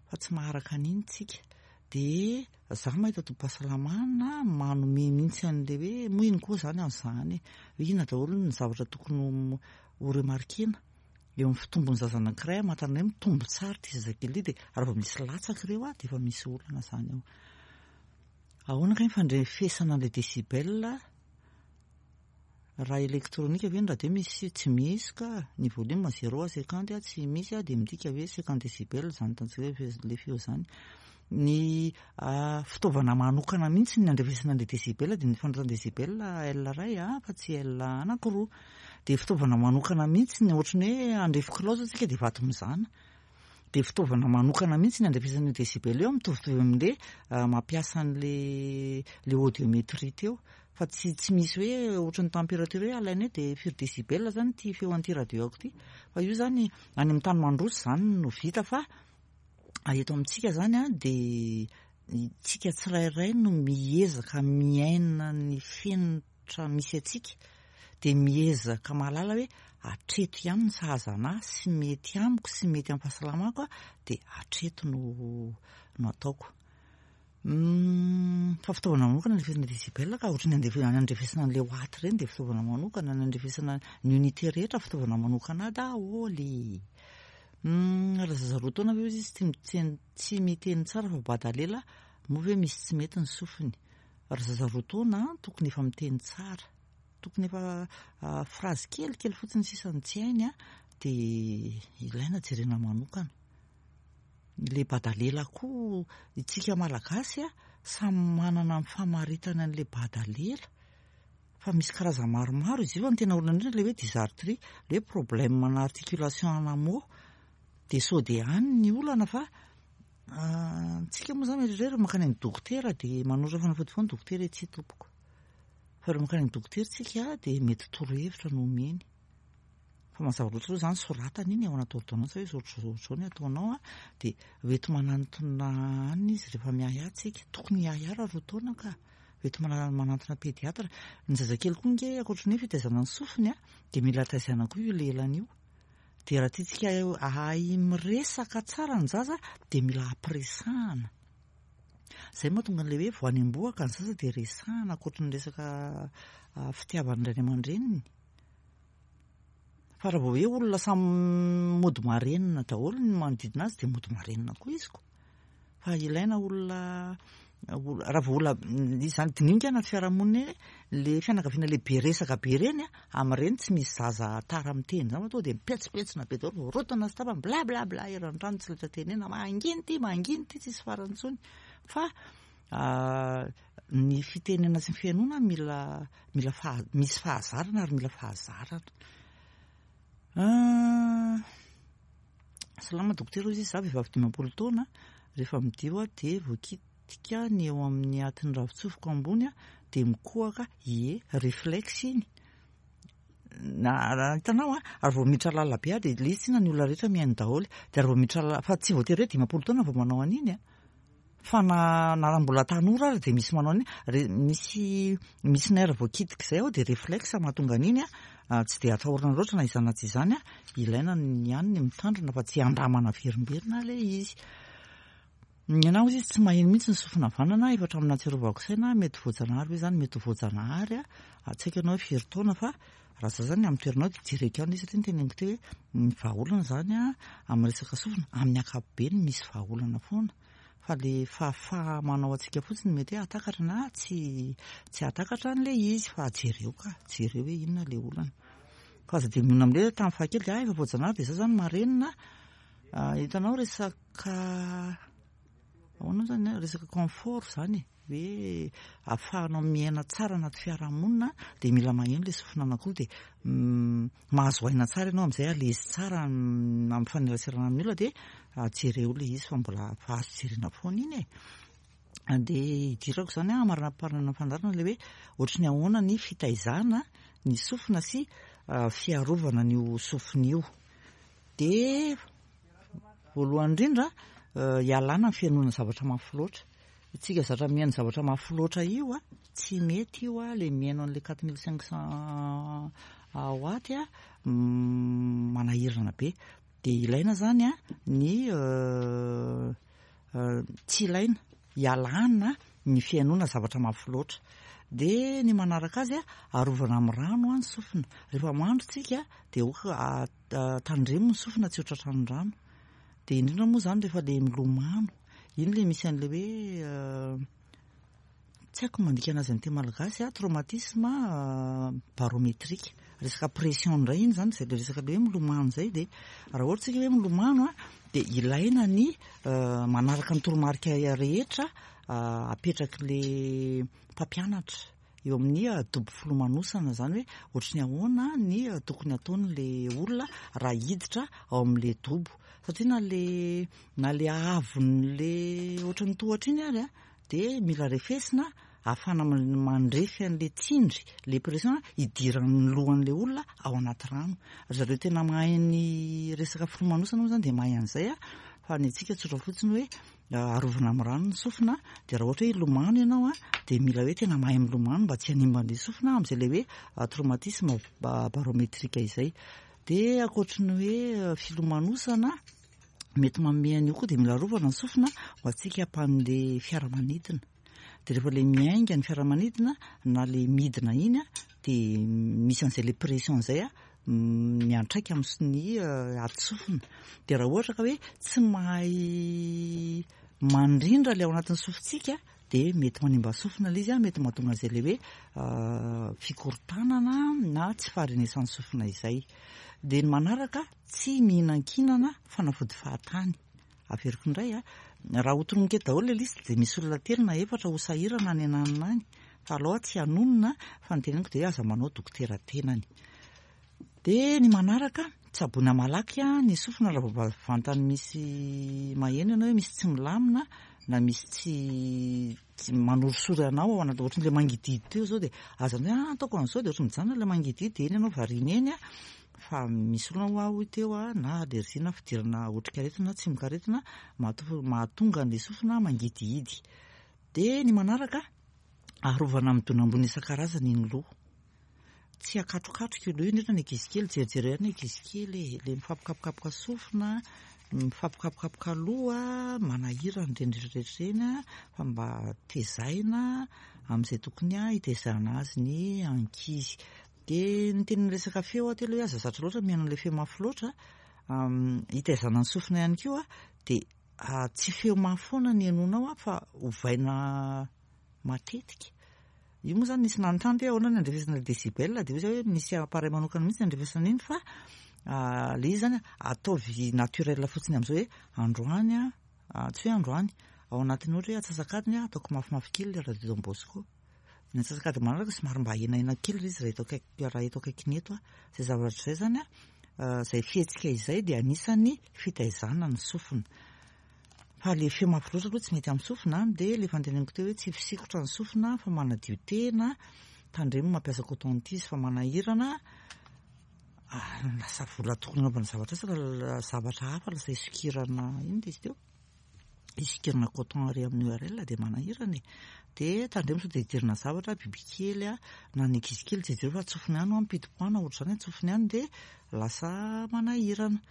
fa tsy maharaka an'iny tsika dia za mahita tobim-pahasalamana manome mihitsy an'ilay hoe moa iny koa izany azo zahana e, hoe inona daholo ny zavatra tokony ho remarquer-na eo amin'ny fitombon'ny zaza anankiray hamantarana hoe mitombo tsara ity zazakely ity dia raha vao misy latsaka ireo dia efa misy olana izany ao. Ahoana kay ny fandrefesana an'ilay décibel? Raha elektronika ve ny radio misy tsy misy ka, ny volume zéro à cinquante tsy misy dia midika hoe cinquante décibel izany hitantsika hoe ilay feo izany. Ny fitaovana manokana mihitsy ny andrefesana an'ilay décibel dia ny fanoratana décibel L iray fa tsy L anankiroa. Dia fitaovana manokana mihitsy ny ohatran'ny hoe handrefy kilao izao tsika dia vato mizana. Dia fitaovana manokana mihitsy ny andrefesana io décibel io mitovitovy amin'ilay mampiasa an'ilay ilay audiométrie teo. Fa tsy tsy misy hoe ohatran'ny température hoe alaina hoe dia firy décibel zany ity feo an'ity radio-ako ity. Fa io zany any amin'ny tany mandroso zany no vita fa eto amintsika zany an dia tsika tsirairay no miezaka miaina ny fenitra misy antsika dia miezaka mahalala hoe hatreto ihany ny sahaza anah sy mety amiko sy mety amin'ny fahasalamako dia hatreto no no ataoko. Fa fitaovana manokana ny andrefesana décibel ka ohatran'ny andefa andrefesana an'ilay watt ireny dia fitaovana manokana, ny andrefesana ny unité rehetra fitaovana manokana daholo. Raha zaza 2 taona ve hozy izy tsy miteny tsy miteny tsara fa bada lela, moa ve misy tsy mety ny sofiny? Raha zaza 2 taona tokony efa miteny tsara, tokony efa phrase kelikely fotsiny sisa no tsy hainy dia ilaina jerena manokana. Ilay badalela koa itsika malagasy a samy manana ny famaritana an'ilay badalela fa misy karazany maromaro izy io fa ny tena olana indrindra ilay hoe dysarthrie, ilay hoe problème ana articulation ana mot dia sao dia any ny olana fa tsika moa izany mieritreritra mankany amin'ny dokotera dia manoratra fanafody foana ny dokotera hoe tsia tompoko fa rehefa mankany amin'ny dokotera tsika dia mety torohevitra no omeny. Fa mazava loatra aloha izany soratana iny ao anaty ordonnance hoe izao ohatr'izao ohatr'izao ny ataonao an, dia hoenti manantona any izy rehefa miahiahy tsika, tokony hiahiahy raha 2 taona ka, hoenti manantona pédiatre. Ny zazakely koa ange ankoatry ny hoe fitaizana ny sofiny an, dia mila taizana koa io lelany io. Dia raha tiantsika hahay miresaka tsara ny zaza dia mila ampiresahana. Izay mahatonga an'ilay hoe vao any am-bohoka ny zaza dia resahana ankoatry ny resaka fitiavan'ny ray aman-dreniny. Fa raha vao hoe olona samy mody marenina daholo ny manodidina azy dia mody marenina koa izy ko. Fa ilaina olona raha vao olona izany dininika anaty fiarahamonina eny le fianakaviana le be resaka be ireny a, amin'ireny tsy misy zaza tara miteny izany fa tonga dia mipetsopetsona be daholo, voarotana sy tapany bla bla bla eran'ny trano tsy laitra tenena, mangina ity mangina ity tsisy farany intsony. Fa ny fitenena sy ny fihainoana mila mila faha misy fahazarana ary mila fahazarana. Salama dokotera hoy izy, za vehivavy 50 taona, rehefa midio aho dia voaki mikitika ny eo amin'ny atin'ny ravin-tsofiko ambony dia mikohaka, ie, réflexe iny. Na raha hitanao an, ary vao miditra lalina be aho dia ilay izy tsinona ny olona rehetra mihaino daholo. Dia ary vao miditra lalina, fa tsy voatery hoe 50 taona vao manao an'iny an. Fa na na raha mbola tanora ary dia misy manao an'iny. Re, misy misy nerf voakitika izay ao dia réflexe mahatonga an'iny an. Tsy dia atahorana loatra na izany na tsy izany an. Ilaina ihany ny mitandrina fa tsy andramana averimberina ilay izy. Ny anah ozy izy tsy maheno mihitsy ny sofina havanana efa hatramin'ny nahatsiarovako saina mety voajanahary ve izany mety ho voajanahary a tsy haiko ianao hoe firy taona fa raha za zany amin'ny toeranao dia jereko ihany satria ny teneniko teo hoe ny vahaolana izany a amin'ny resaka sofina amin'ny ankapobeny misy vahaolana foana fa le fahafaha-manao antsika fotsiny mety hoe hahatakatra na tsy tsy hahatakatra an'ilay izy fa jereo ka jereo hoe inona ilay olana fa aza dia mionona amin'ilay hoe tamin'ny fahakely dia ah efa voajanahary dia za zany marenina Hitanao resaka ahoana moa zany resaka confort zany e, hoe ahafahanao miaina tsara anaty fiarahamonina dia mila maheno ilay sofina anankiroa dia mahazo aina tsara ianao amin'izay à l'aise tsara amin'ny mifaneraserana amin'ny olona dia jereo ilay izy fa mbola fa azo jerena foana iny e. Dia idirako izany an, amaranamparana ny fandaharana ilay hoe ohatry ny ahoana ny fitaizana ny sofina sy fiarovana an'io sofina io. Dia voalohany indrindra ialana ny fihainoana zavatra mafy loatra. Isika zatra mihaino zavatra mafy loatra io a, tsy mety io a, ilay mihaino an'ilay 4500 watt a, manahirana be. Dia ilaina izany a ny tsy ilaina ialana ny fihainoana zavatra mafy loatra. Dia ny manaraka azy a, arovana amin'ny rano ny sofina. Rehefa mandro tsika dia aoka tandremo ny sofina tsy ho tratran'ny rano. Dia indrindra moa izany rehefa ilay milomano, iny ilay misy an'ilay hoe tsy haiko ny mandika anazy amin'ny teny malagasy a, traumatisme barométrique. Resaka pression indray iny izany, izay ilay resaka ilay hoe milomano izay. Dia raha ohatra isika hoe milomano a, dia ilaina ny manaraka ny toromarika rehetra apetrak'ilay mpampianatra eo amin'ny dobo filomanosana, izany hoe ohatry ny ahoana ny tokony ataon'ilay olona raha hiditra ao amin'ilay dobo, satria na le na le haavon'le ohatry ny tohatra iny ary a dia mila refesina ahafahana mandrefy an'ilay tsindry, ilay pression hidiran'ny lohan'ilay olona ao anaty rano. Ry zareo tena mahay ny resaka filomanosana moa izany dia mahay an'izay a, fa ny antsika tsotra fotsiny hoe arovana amin'ny rano ny sofina, dia raha ohatra hoe hilomano ianao a, dia mila hoe tena mahay milomano mba tsy hanimba an'ilay sofina amin'izay ilay hoe traumatisme barométrique izay. Dia ankoatry ny hoe filomanosana, mety manome an'io koa dia mila arovana ny sofina ho antsika mpandeha fiaramanidina. Dia rehefa ilay miainga ny fiaramanidina na ilay midina iny dia misy an'izay ilay pression izay miantraika amin'ny ati-sofina. Dia raha ohatra ka hoe tsy mahay mandrindra ilay ao anatin'ny sofintsika dia mety manimba sofina ilay izy, mety mahatonga an'izay ilay hoe fikorontanana na tsy faharenesan'ny sofina izay. Dia ny manaraka, tsy mihinankinana fanafody fahatany. Averiko indray a, raha ho tononiko eto daholo ilay liste dia misy olona telo na efatra ho sahirana any ananona any. Fa aleo aho tsy hanonona fa ny teneniko dia hoe aza manao dokotera tenany. Dia ny manaraka, tsaboina malaky ny sofina raha vao vantany misy maheno ianao hoe misy tsy milamina na misy tsy tsy manorisory anao ao anaty, ohatran'ilay mangidihidy teo izao dia aza hoe ah ataoko an'izao dia ohatran'ny mijanona ilay mangidihidy dia eny ianao variana eny a. Fa misy olona hoa hoy teo a, na allergie na fidirana otrikaretina na tsimokaretina mahatonga an'ilay sofina mangidihidy. Dia ny manaraka, arovana amin'ny dona ambony isan-karazany ny loha. Tsy akatrokatroka io loha io, indrindra ny ankizy kely, jerijereo ihany ny ankizy kely e, ilay mifampikapokapoka sofina, mifampikapokapoka loha, manahirana ireny rehetra rehetra ireny fa mba tezaina amin'izay tokony hitezana azy ny ankizy. Dia niteny resaka feo aho teo aloha hoe aza zatra loatra mihaino an'ilay feo mafy loatra, hitaizana ny sofina ihany koa dia tsy feo mafy foana ny henoinao fa ovaina matetika. Io moa izany nisy nanontany hoe ahoana ny andrefesana ilay décibel dia hoy izy hoe misy appareil manokana mihitsy andrefesana iny fa ilay izy izany ataovy naturel fotsiny amin'izao hoe androany tsy hoe androany, ao anatin'ny ohatra hoe antsasak'adiny ataoko mafimafy kely ilay radio Don Bosco. Ny antsasak'adiny manaraka somary mba ahenahena kely ilay izy raha eto akaiky, raha eto akaikiny eto aho. Izay zavatra izay izany an, izay fihetsika izay dia anisan'ny fitaizana ny sofina. Fa le feo mafy loatra aloha tsy mety amin'ny sofina an, dia le efa noteneniko teo hoe tsy fisikotra ny sofina fa manadio tena, tandremo mampiasa coton tige fa manahirana, lasa vola tokony hanaovana zavatra asa zavatra hafa lasa isokirana inona izy teo? Isokirana coton ary amin'ny URL dia manahirana e. Dia tandremo sao dia idirana zavatra, bibikely a, na ny ankizy kely jereo fa tsofiny ihany hoa mipidi-poana ohatr'izany tsofiny ihany dia lasa manahirana.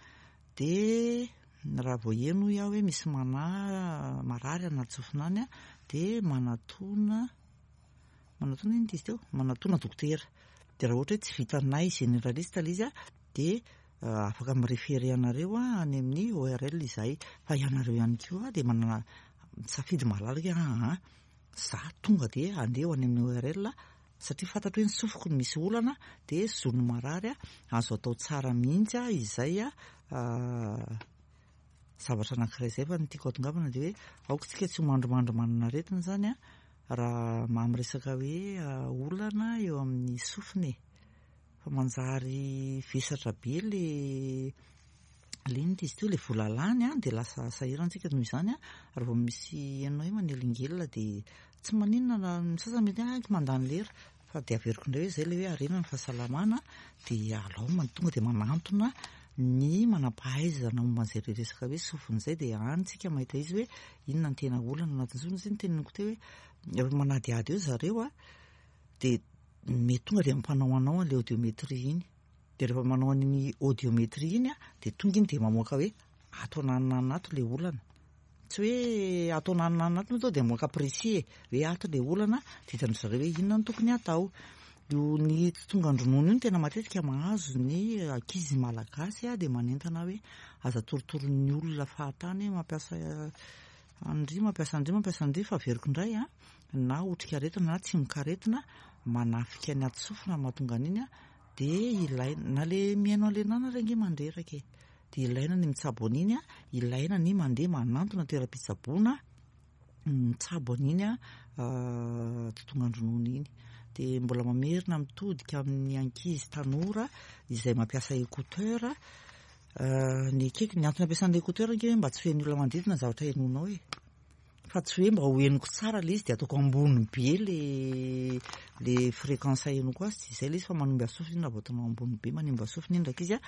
Dia raha vao heno hoy aho hoe misy manahy marary anaty sofina any dia manatona, manatona inona izy teo? Manatona dokotera. Dia raha ohatra hoe tsy vitanay généraliste ilay izy dia afaka mi-référer anareo any amin'ny ORL izahay. Fa ianareo ihany koa dia manana safidy malalaka hoe aa za tonga dia handeha ho any amin'ny ORL satria fantatro hoe ny sofiko no misy olana dia zon'ny marary azo atao tsara mihitsy izay zavatra anankiray izay. Fa ny tiako hatongavana dia hoe aoka isika tsy ho mandrimandry manana aretina izany raha amin'ny resaka hoe olana eo amin'ny sofina e. Fa manjary vesatra be le le inona izy teo le vola lany an, dia lasa sahirana tsika noho izany an, raha vao misy henonao hoe manelingelina dia tsy maninona na ny sasany mety hoe mandany lera fa dia averiko indray hoe izay le hoe harena ny fahasalamana dia alao tonga dia manantona ny manam-pahaizana momba an'izay resaka hoe sofina izay dia any tsika mahita izy hoe inona ny tena olana anatin'ny sofina satria ny teneniko teo hoe rehefa manadihady eo zareo an dia mety tonga dia mampanao anao an'ilay audiométrie iny. Dia rehefa manao an'iny audiométrie iny dia tonga iny dia mamoaka hoe ato ananona ato ilay olana. Tsy hoe ato ananona ato moa dia mamoaka précis e, hoe ato ilay olana dia hitan-dry zareo hoe inona no tokony hatao. Io ny tsy tongan-dronono io no tena matetika mahazo ny ankizy malagasy dia manentana hoe aza torotoroin'ny olona fahatany hoe mampiasa an-dry, mampiasa an-dry, mampiasa an-dry fa averiko indray an. na otrikaretina na tsimokaretina manafika ny aty sofina mahatonga an'iny an, dia ilaina, na le mihaino an'le nana ary ange mandreraka e, dia ilaina ny mitsabo an'iny an, ilaina ny mandeha manantona toeram-pitsaboana mitsabo an'iny an totongan-dronono iny. Dia mbola mamerina mitodika amin'ny ankizy tanora izay mampiasa écouteur, ny ekeko, ny antony ampiasana écouteur ange mba tsy ho henon'ny olona manodidina ny zavatra henoinao e. Fa tsy hoe mba ho henoko tsara ilay izy dia ataoko ambony be le le fréquence henoko azy, tsy izay ilay izy fa manimba sofina iny raha vao ataonao ambony be, manimba sofina iny rankizy a,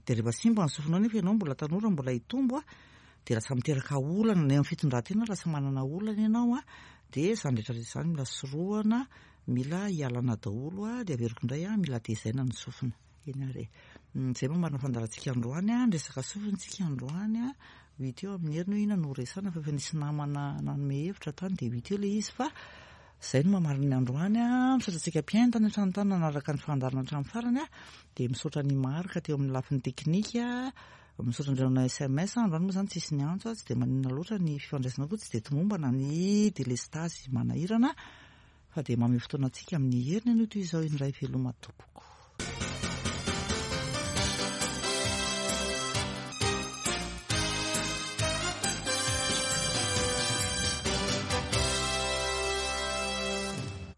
dia rehefa simba ny sofinao nefa ianao mbola tanora mbola hitombo a, dia lasa miteraka olana na eo amin'ny fitondran-tena lasa manana olana ianao a, dia izany rehetra rehetra izany mila sorohana, mila hialana daholo a, dia averiko indray a, mila tezaina ny sofina. Eny ary e. Izay moa marina fandaharantsika androany a, niresaka sofina isika androany a, ho hita eo amin'ny heriny hoe inona no horesahana fa efa nisy namana nanome hevitra tany dia ho hita eo ilay izy fa izay no mamarina ny androany a, misaotra antsika mpihaino tany an-trano tany nanaraka ny fandaharana hatramin'ny farany a, dia misaotra an'i Marc teo amin'ny lafiny teknika, misaotra an'ireo nanao sms, androany moa izany tsisy niantso a, tsy dia maninona loatra ny fifandraisana koa tsy dia tomombana ny delestazy manahirana fa dia mamehy fotoana antsika amin'ny heriny anio toy izao indray veloma tompoko.